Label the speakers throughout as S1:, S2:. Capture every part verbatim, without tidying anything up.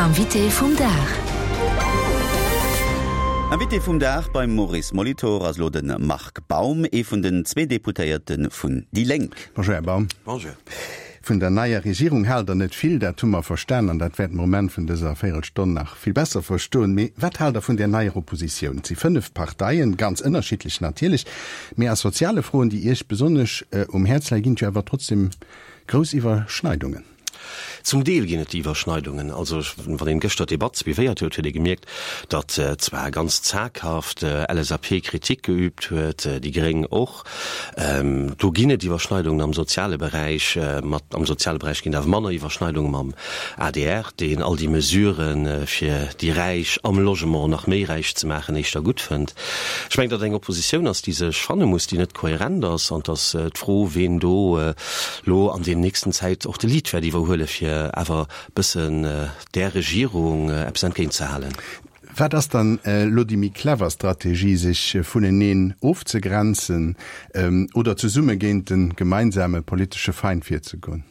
S1: Invité vum Dag.
S2: Invité vum Dag beim Maurice Molitor ass elo de Marc Baum, ee vun den zwee Deputéierte vun déi Lénk.
S3: Bonjour, Här Baum.
S4: Bonjour.
S3: Vun der neier Regierung haalt Der net vill, dat hu mer verstan an dat wäerte mer um Enn vun dëser Véierelstonn nach vill besser verstoen. Mee wat haalt Der vun där neier Oppositioun? Et si fënnef Parteien, ganz ënnerschiddlech natierlech, mee a soziale Froen, déi Iech besonnesch um Häerz leien, ginn et jo awer trotzdem grouss Iwwerschneidungen.
S4: Zum Deel ginn et déi Iwwerschneidungen. Also wann een gëschter d'Debatt suivéiert huet, huet ee gemierkt, datt zwar ganz zaghaft L S A P Kritik geübt huet, déi Gréng och. Do ginn et Iwwerschneidungen am soziale Beräich. Mat am soziale Beräich ginn et awer manner Iwwerschneidunge mam A D R, deen all déi Mesuren, fir déi Räich am Logement nach méi räich ze maachen, éischter gutt fënnt. Ech mengen, datt et eng Oppositioun ass, déi sech fanne muss, déi net kohärent ass, an et ass d'Fro, ween do elo an deem nächsten Zäit och de Lead wäert iwwerhuele fir awer bëssen där Regierung eppes entgéint ze halen.
S3: Wat ass dann elo déi méi clever Strategie, sech vuneneen ofzegrenzen oder zesumme géint de gemeinsame politesche Feind virzegoen?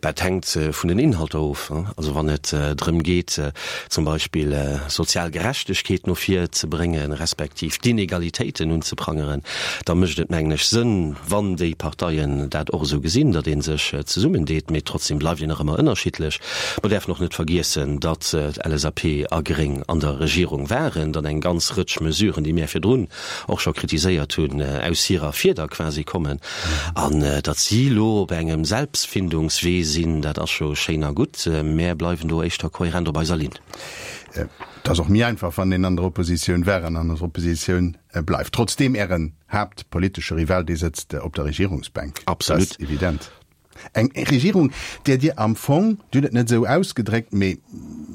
S4: Dat hänkt vun den Inhalter of. Also wann et drëm geet, zum Beispill sozial Gerechtegkeet no vir ze bréngen, respektiv d'Inegalitéiten unzeprangeren, da mécht et, mengen ech, Sënn, wann déi Parteien dat och esou gesinn, datt ee sech zesummendeet. Mee trotzdem bleift een nach ëmmer ënnerschiddlech. Mer däerfen och net vergiessen, datt L S A P a Gréng an der Regierung waren, datt eng ganz Rëtsch Mesuren, déi mär virdrun och scho kritiséiert hunn, aus hirer Fieder quasi kommen. An datt si elo op engem Selbstfindungswee sinn, dat ass scho schéin a gutt. Mär bleiwen do éischter kohärent op eiser Linn.
S3: Et ass och méi einfach, wann een an der Oppositioun war an an der Oppositioun bleift. Trotzdeem, Ären haaptpolitesche Rival, dee sëtzt op der Regierungsbänk.
S4: Absolut.
S3: Dat ass evident. Eng Regierung, där Dir am Fong, Dir hutt et net esou ausgedréckt, mee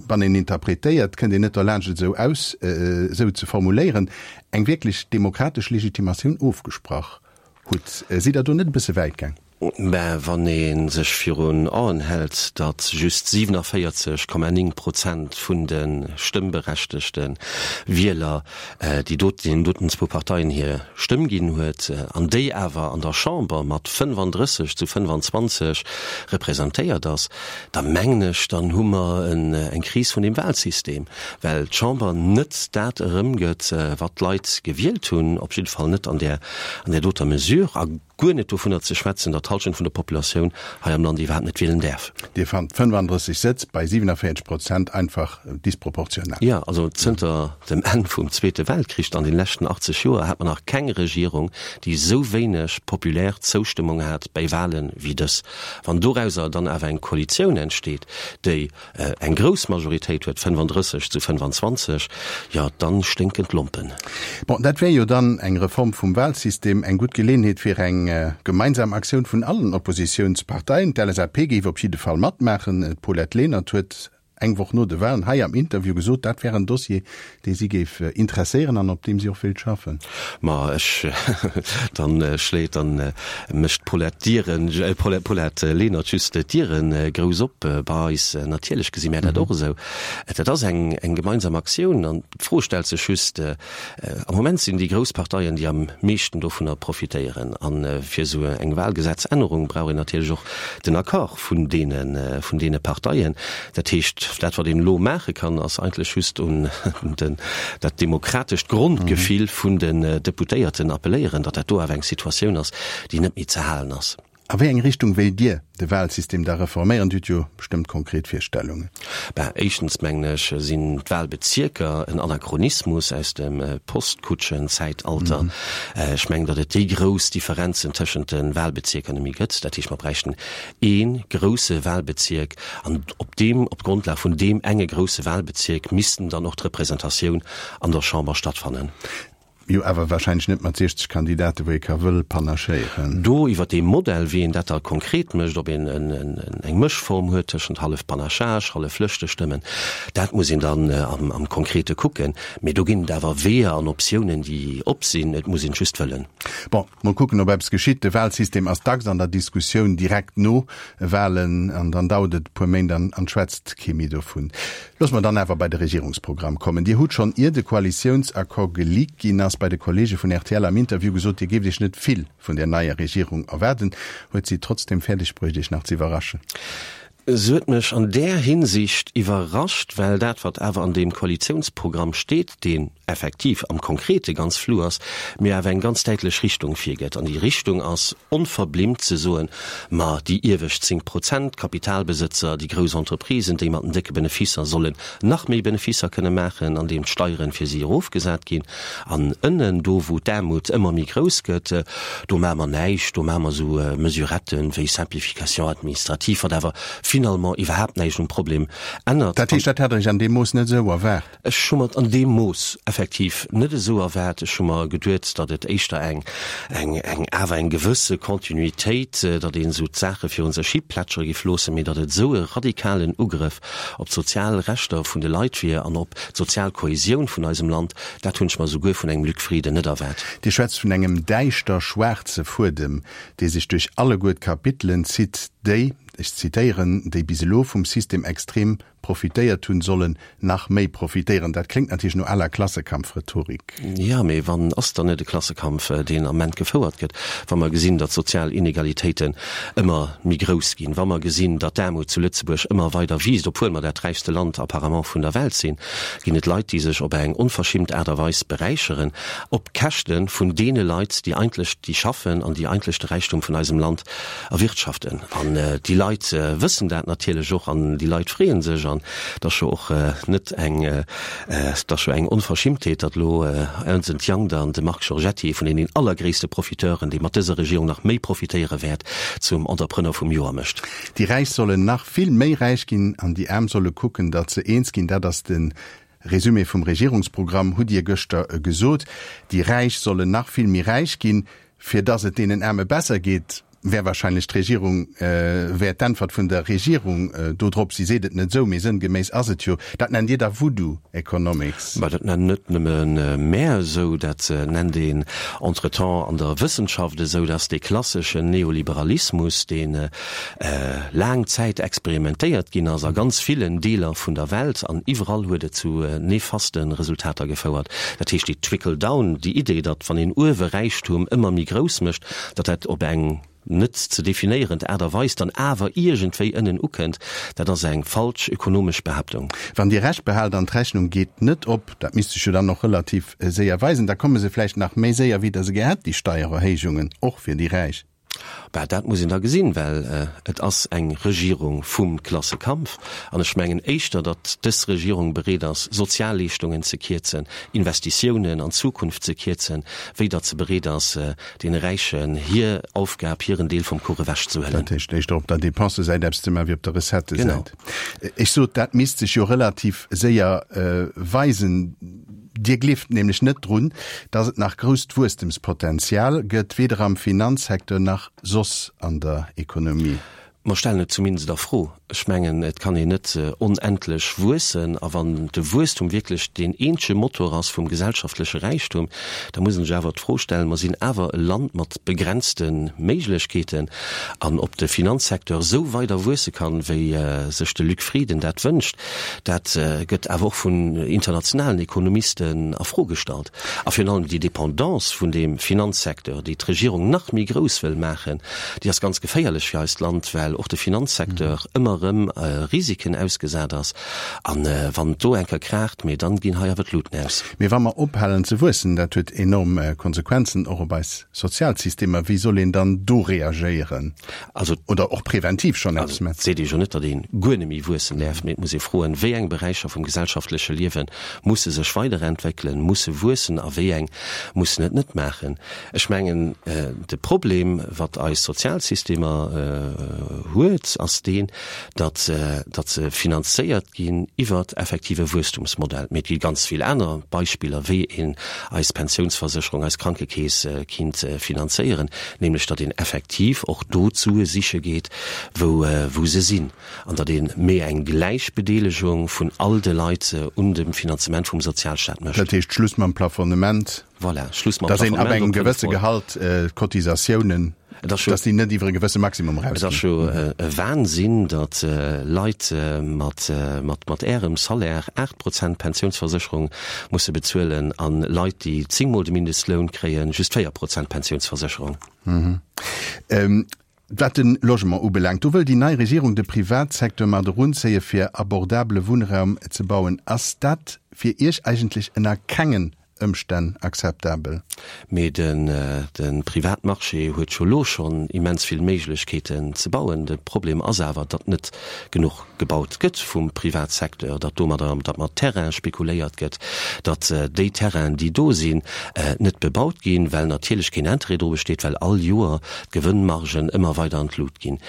S3: wann een interpretéiert, kënnt een net derlaanscht et esou aus, esou ze formuléieren, eng wierklech demokratesch Legitimatioun ofgesprach hutt. Sidd Der do net e bësse wäit gaang?
S4: Mä wann ee sech virun Aen hält, datt just siewenundvierzig Komma néng Prozent vun de stëmmberechtegte Wieler déi dot, deenen doten zwou Parteien hir Stëmm ginn huet, an déi awer an der Chamber mat fënfandrësseg zu fënfanzwanzeg representéiert ass, da mengen ech, dann hu mer eng Kris vun deem Wahlsystem, well d'Chamber net dat erëmgëtt, wat d'Leit gewielt hunn, op jidde Fall net an där, an där doter Mesure. A guer net dovunner ze schwätzen, datt d'Hallschent vun der Populatioun hei am Land iwwerhaapt net wielen däerf.
S3: Dir fannt fënfandrësseg Sëtz bei siewenundvierzig Prozent einfach disproportional?
S4: Jo, also zënter dem Enn vum Zweete Weltkrich, an den leschten achtzeg Joer, hat mer nach keng Regierung, déi esou wéineg populär Zoustëmmung hat bäi Wahlen wéi dës. Wann dorauser dann awer eng Koalitioun entsteet, déi eng grouss Majoritéit huet, fënfandrësseg zu fënfanzwanzeg, jo, dann sténken d'Lompen.
S3: Bon, dat wär jo dann eng Reform vum Wahlsystem, eng gutt Geleenheet fir eng gemeinsam Aktioun vun allen Oppositiounsparteien. D'L S A P géif op jidde Fall matmaachen. D'Paulette Lenert huet eng Woch no de Wahlen hei am Interview gesot, dat wär en Dossier, dee si géif interesséieren an op deem si och wéilt schaffen.
S4: Ma ech, dann schléit, dann mécht d'Paulette d'Dieren, Paulette Lenert just d'Dieren grouss op bei eis. Natierlech gesi mär dat och esou. Dat ass eng eng gemeinsam Aktioun an d'Fro stellt sech just, am Moment sinn déi grouss Parteien, déi am meeschten dovunner profitéieren. A fir esou eng Wahlgesetzännerung brauch een natierlech och den Accord vun deene vun deene Parteien. Dat heescht, dat wat een elo maache kann, ass eigentlech just un den dat demokratescht Grondgefill vun den Deputéierten appelléieren, datt dat do awer eng Situatioun ass, déi net méi ze halen ass.
S3: A wéi eng Richtung wéilt Dir de Wahlsystem da reforméieren? Dir hutt jo bestëmmt konkret Virstellungen.
S4: Ben, éischtens mengen ech, sinn d'Wahlbezierker en Anachronismus aus dem Postkutschenzäitalter. Ech mengen, datt et déi grouss Differenzen tëschent de Wahlbezierker net méi gëtt. Dat heescht, mer bräichten ee grousse Wahlbezierk an op deem, op Grondlag vun deem enge grousse Wahlbezierk missten dann och d'Representatioun an der Chamber stattfannen.
S3: Jo, awer wahrscheinlech net mat siechzeg Kandidaten, wou ee ka wëll panachéieren.
S4: Do iwwer dee Modell, wéi een dat da konkret mécht, ob een eng Mëschform huet tëschent hallef Panachage, hallef Lëschtestëmmen, dat muss een dann am Konkrete kucken. Mee do ginn et awer Weeër an Optiounen, déi op sinn. Et muss een et just wëllen.
S3: Bon, mol kucken, ob eppes geschitt. De Wahlsystem ass dacks an der Diskussioun direkt no Wahlen an dann dauert et e puer Méint an et schwätzt kee méi dovun. Loosse mer dann awer bei de Regierungsprogramm kommen. Dir hutt schonn ier de Koalitiounsaccord geleakt ginn ass, bei de Kollege vun R T L am Interview gesot, Dir géift Iech net vill vun der neier Regierung erwaarden. Huet si trotzdem fäerdeg bruecht, Iech nach ze iwwerraschen?
S4: Se huet mech an där Hinsicht iwwerrascht, well dat, wat awer an deem Koalitiounsprogramm steet, deen effektiv am Konkrete ganz flou ass, mir awer eng ganz däitlech Richtung virgëtt. An déi Richtung ass onverblimmt ze soen, ma déi iewescht zéng Prozent, d'Kapitalbesëtzer, déi grouss Entreprisen, déi mat den décke Benefisser sollen nach méi Benefisser kënne maachen, andeem d'Steieren fir si erofgesat ginn. An ënnen, do wou d'Aarmut ëmmer méi grouss gëtt, do maache mer näischt, do maache mer esou Mesuretten wéi Simplification administrative, wat awer finalement iwwerhaapt näischt um Problem ännert.
S3: Dat heescht, dat hat Der Iech an deem Mooss net esou erwaart?
S4: Ech hu mer et an deem Mooss effektiv net esou erwaart. Ech hu mer geduet, datt et éischter eng, eng, eng, awer eng gewësse Kontinuitéit, datt een esou d'Saache virun sech hi plätschere géif loossen, mee datt et esou e radikalen Ugrëff op d'sozial Rechter vun de Leit wier an op d'sozial Kohäsioun vun eisem Land, dat hunn ech mer esouguer vun engem Luc Frieden net erwaart.
S3: Dir schwätzt vun engem däischter schwaarze Fuedem, dee sech duerch alleguer d'Kapitelen zitt, déi, ech zitéieren, déi bis elo vum System extrem profitéiert hunn, sollen nach méi profitéieren. Dat kléngt natierlech no aler Klassekampfrhetorik.
S4: Jo, mee wann ass dann net e Klassekampf, deen am Ament gefouert gëtt, wa mer gesinn, datt d'sozial Inegalitéiten ëmmer méi grouss ginn, wa mer gesinn, datt d'Aarmut zu Lëtzebuerg ëmmer weider wiisst, obwuel mer dat räichste Land apparemment vun der Welt sinn, ginn et Leit, déi sech op eng onverschimmt Aart a Weis beräicheren, op Käschte vun deene Leit, déi eigentlech, déi schaffen an déi eigentlech de Räichtum vun eisem Land erwirtschaften. An déi Leit wëssen dat natierlech och an déi Leit freeë sech. An et ass jo och net eng, et ass jo eng Onverschimmtheet, datt elo Ernst and Young dann de Marc Giorgetti, ee vun deenen allergréisste Profiteuren, dee mat dëser Regierung nach méi profitéiere wäert, zum Entrepreneur vum Joer mécht.
S3: Déi Räich sollen nach vill méi räich ginn an déi Aarm solle kucken, datt se eens ginn. Dat ass de Résumé vum Regierungsprogramm, hutt Dir gëschter gesot. Déi Räich sollen nach vill méi räich ginn, fir datt et deenen Aarme besser geet. Wär wahrscheinlech d'Regierung, wär d'Äntwert vun der Regierung do drop. Si seet et net esou, mee sënngeméiss ass et jo. Dat nennt Dir da Voodoo Economics?
S4: Mä dat nennen net nëmme mär esou, dat nennt een entretemps an der Wëssenschaft esou, dass dee klasseschen Neoliberalismus, dee laang Zäit experimentéiert ginn ass a ganz villen Deeler vun der Welt, an iwwerall huet et zu nefaste Resultater gefouert. Dat heescht, déi Trickle-down, déi Idee, datt wann een uewe Räichtum ëmmer méi grouss mécht, datt dat op eng net ze definéierend Aart a Weis dann awer iergendwéi ënnen ukënnt, dat ass eng falsch ökonomesch Behaaptung.
S3: Wann Dir Recht behaalt an d'Rechnung geet net op, dat misst sech jo dann och relativ séier weisen, da komme se vläicht nach méi séier wéi Der se gär hätt, déi Steiererhéijungen, och fir déi Räich.
S4: Bah, dat muss een da gesinn, well et ass eng Regierung vum Klassekampf. An ech mengen éischter, datt dës Regierung bereet ass, Sozialleeschtungen ze kierzen, Investitiounen an d'Zukunft ze kierzen, wéi datt se bereet ass, deene Räichen hir Aufgab, hiren Deel vum Kuch ewechzehuelen.
S3: Dat heescht éischter op der Dépensesäit eppes ze maachen, wéi op der Recettësäit. Ech sot, dat misst sech jo relativ séier weisen. Dir gleeft nämlech net drun, datt et nach grousst Wuesstemspotenzial gëtt, weder am Finanzsecteur nach soss an der Ekonomie.
S4: Mer stellen et zumindest a Fro. Ech mengen, et kann een net onendlech wuessen. A wann de Wuesstum wierklech deen eenzege Motor ass vum gesellschaftleche Räichtum, da muss een sech awer d'Fro stellen, mer sinn awer e Land mat begrenzte Méiglechkeeten, an ob de Finanzsecteur esou weider wuesse kann, wéi sech de Luc Frieden dat wënscht, dat gëtt awer och vun internationalen Ekonomisten a Fro gestallt. A virun allem déi Dépendance vun deem Finanzsecteur, déi d'Regierung nach méi grouss wëll maachen, déi ass ganz geféierlech fir eist Land, well och de Finanzsecteur ëmmer erëm Risiken ausgesat ass. A wann et do eng Kéier kraacht, mee dann ginn hei awer d'Luten aus.
S3: Mee wa mer ophalen ze wuessen, dat huet enorm Konsequenzen och op eis Sozialsystemer. Wéi soll een dann do reagéieren?
S4: Also,
S3: Oder och preventiv schonn eppes
S4: also,
S3: maachen?
S4: et seet ee jo net, datt ee guer net méi wuessen däerf, mee et muss ee froen, wéi eng Beräicher vum gesellschaftleche Liewe musse sech weiderentwéckelen, musse wuessen a wéi eng mussen et net maachen. Ech mengen, de Problem, wat eis Sozialsystemer huet, ass deen, datt datt se finanzéiert ginn iwwert effektive Wuesstumsmodell. Mee et gi ganz vill aner Beispiller, wéi een eis Pensiounsversécherung, eis Krankekeess kinnt finanzéieren, nämlech datt een effektiv och do d'Sue siche geet, wou wou se sinn, an datt ee méi eng Gläichbedeelegung vun all de Leit un dem Finanzement vum Sozialstaat mécht.
S3: Dat heescht Schluss mam Plafonnement?
S4: Voilà, Schluss mam
S3: Datt een ab
S4: Plafonnement
S3: engem
S4: op fënnef
S3: gewësse
S4: Mol.
S3: Gehalt d'Cotisatiounen,
S4: Et ass jo,
S3: datt déi net iwwer e gewësse Maximum
S4: et ass
S3: erausginn.
S4: jo e Wahnsinn, datt Leit mat, mat, mat Ärem Salaire aacht Prozent Pensiounsversécherung musse bezuelen a Leit, déi zéngmol de Mindestloun kréien, just véier Prozent Pensiounsversécherung.
S3: Wat de Logement ubelaangt, do wëll déi nei Regierung de Privatsecteur mat erunzéie fir abordabele Wunnraum ze bauen. Ass dat fir Iech eigentlech ënner kengen Ëmstänn akzeptabel?
S4: Mee de Privatmarché huet scho lo schonn immens vill Méiglechkeeten ze bauen. De Problem ass awer, datt net genuch gebaut gëtt vum Privatsecteur, datt domadder, datt mat Terraine spekuléiert gëtt, datt déi Terrainen, déi do sinn, net bebaut ginn, well natierlech keen Interêt dru besteet, well all Joer d'Gewënnmargen ëmmer weider an d'Lut ginn.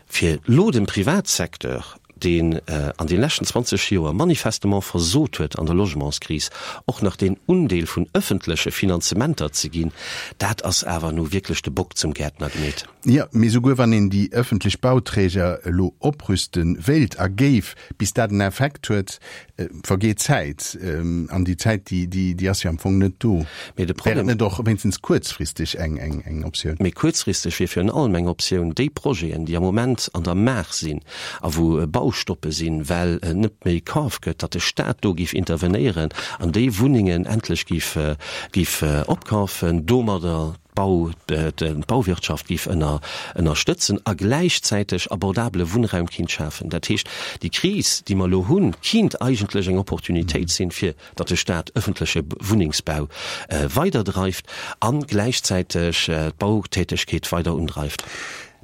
S4: Fir elo dem Privatsecteur, deen an de leschten zwanzeg Joer manifestement versot huet an der Logementskris, och nach deen Undeel vun ëffentleche Finanzementer ze ginn, dat ass awer nu wierklech de Bock zum Gäertner gemeet.
S3: Jo, mee souguer wann een déi ëffentlech Bauträger elo oprüste wéilt a géif, bis dat en Effekt huet, vergeet Zäit. An déi Zäit, déi ass jo am Fong net do.
S4: Mee de
S3: Wär et
S4: Problem.
S3: net och wéinstens kuerzfristeg eng Optioun?
S4: Mee kuerzfristeg wier virun allem eng Optioun, déi Projeten, déi am Moment an der Maach sinn a wou Baustoppe sinn, well net méi kaf gëtt, datt de Staat do géif intervenéieren an déi Wunnengen endlech géif opkafen, domadder d'Bau, d'Bauwirtschaft géif ënner, ënnerstëtzen a gläichzäiteg abordabele Wunnraum kinnt schafen. Dat heescht, déi Kris, déi mer elo hunn, kinnt eigentlech eng Opportunitéit sinn, fir datt de Staat ëffentleche Wunnengsbau weiderdreift a gläichzäiteg d'Bautätegkeet weider undreift.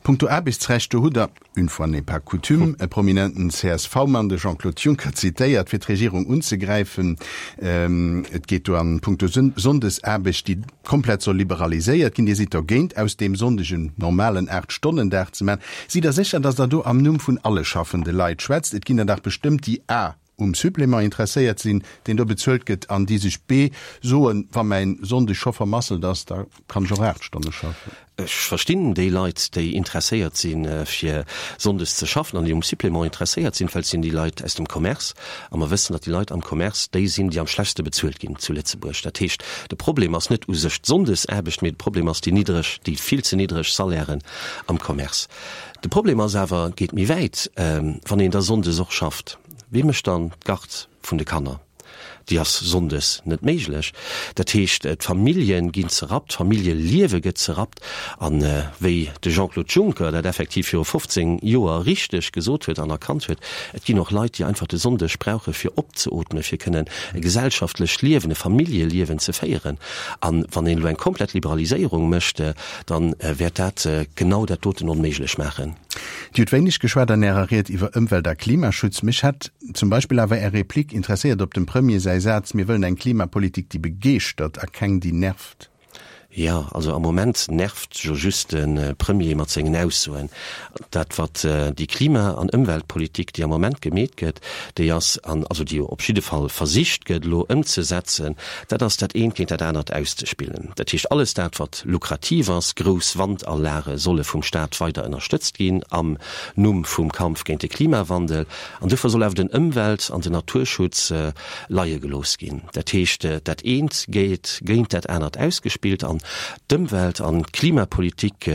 S3: Punkto Aarbechtsrecht, do hutt Der, une fois n'est pas coutume, e prominenten C S V-Mann, de Jean-Claude Juncker, zitéiert, fir d'Regierung unzegräifen. Et geet do an punkto Sonndesaarbecht, déi komplett soll liberaliséiert ginn. Dir sidd dergéint, aus deem Sonndeg en normalen Aacht-Stonnen-Dag ze maachen. Sidd Der sécher, datt Der do am Numm vun alle schaffende Leit schwätzt? Et ginn der dach bestëmmt, déi a um Supplément interesséiert sinn, deen do bezuelt gëtt, an déi sech b soen, wa mäin Sonndeg scho vermasselt ass, da kann ech och aacht Stonne schaffen.
S4: Ech verstinn déi Leit, déi interesséiert sinn, fir sonndes ze schaffen an déi um Supplément interesséiert sinn, well et sinn déi Leit aus dem Commerce. A mer wëssen, datt déi Leit am Commerce déi sinn, déi am schlechtste bezuelt ginn zu Lëtzebuerg. Dat heescht, de Problem ass net u sech d'Sonndesaarbecht, mee de Problem ass déi niddreg, déi vill ze niddreg Salairen am Commerce. De Problem ass awer, geet méi wäit, wann een da sonndes och schafft, Wie mécht dann d'Garde vun de Kanner? Déi ass sonndes net méiglech. Dat heescht, d'Famillje ginn zerrappt, d'Familljeliewe gëtt zerrappt. An wéi de Jean-Claude Juncker dat effektiv viru fofzéng Joer richteg gesot huet an erkannt huet, et ginn och Leit, déi einfach de Sonndeg brauche fir opzeootmen, fir kënnen e gesellschaftlecht Liewen, e Familljeliewen ze féieren. An wann een elo eng komplett Liberaliséierung mécht, da wäert dat genau dat doten onméiglech maachen.
S3: Dir hutt wéineg geschwat an Ärer Ried iwwer Ëmwelt a Klimaschutz. Mech hätt zum Beispill awer Är Replik interesséiert op dem Premier säi Saz, Mir wëllen eng Klimapolitik, déi begeeschtert a keng, déi nervt.
S4: Jo, also am Moment nervt jo just de Premier mat sengen Aussoen. Dat wat déi Klima an Ëmweltpolitik, déi am Moment gemeet gëtt, déi ass, an also déi op jidde Fall versicht gëtt elo ëmzesetzen, dat ass dat eent géint dat anert auszespillen. Dat heescht, alles dat wat lukrativ ass, grouss Wandallage solle vum Staat weider ënnerstëtzt ginn am Numm vum Kampf géint de Klimawandel, an dofir soll awer den Ëmwelt an den Naturschutz leie gelooss ginn. Dat heescht, dat eent gétt géint dat anert ausgespillt an d'Ëmwelt an d'Klimapolitik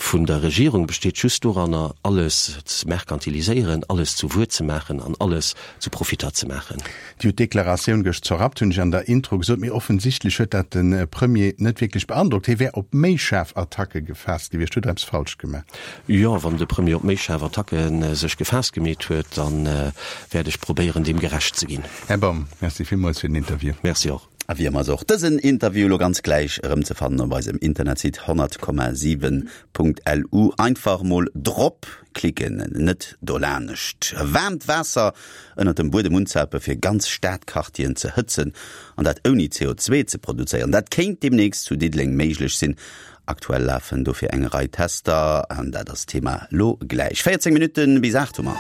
S4: vun der Regierung besteet just doranner, alles ze merkantiliséieren, alles zu Wuer ze maachen an alles zu Profitter ze maachen.
S3: Dir hutt d'Deklaratioun gëscht zerrappt, hunn ech an der Intro gesot, mee offensichtlech huet dat de Premier net wierklech beandrockt. Hie wär op méi schaarf Attacke gefaasst gewiescht. Huet Der eppes falsch gemaach?
S4: Jo, wann de Premier op méi schaarf Attacke sech gefaasst gemeet huet, da wäert ech probéieren, deem gerecht ze ginn.
S3: Här Baum, Merci villmools fir den Interview.
S4: Merci och.
S2: A wéi ëmmer ass och dësen Interview elo ganz gläich erëmzefannen op eisem Internetsite honnert Komma siwen Punkt L U. Einfach mol drop klicken, net dolanescht. Waarmt Waasser ënnert dem Buedem unzape fir ganz Stadquartieren ze hëtzen an dat ouni C O zwee ze produzéieren, dat kéint deemnächst zu Diddeleng méiglech sinn. Aktuell lafen dofir eng Rei Tester an dat ass Thema lo gläich. véierzéng Minutten bis aacht hu mer.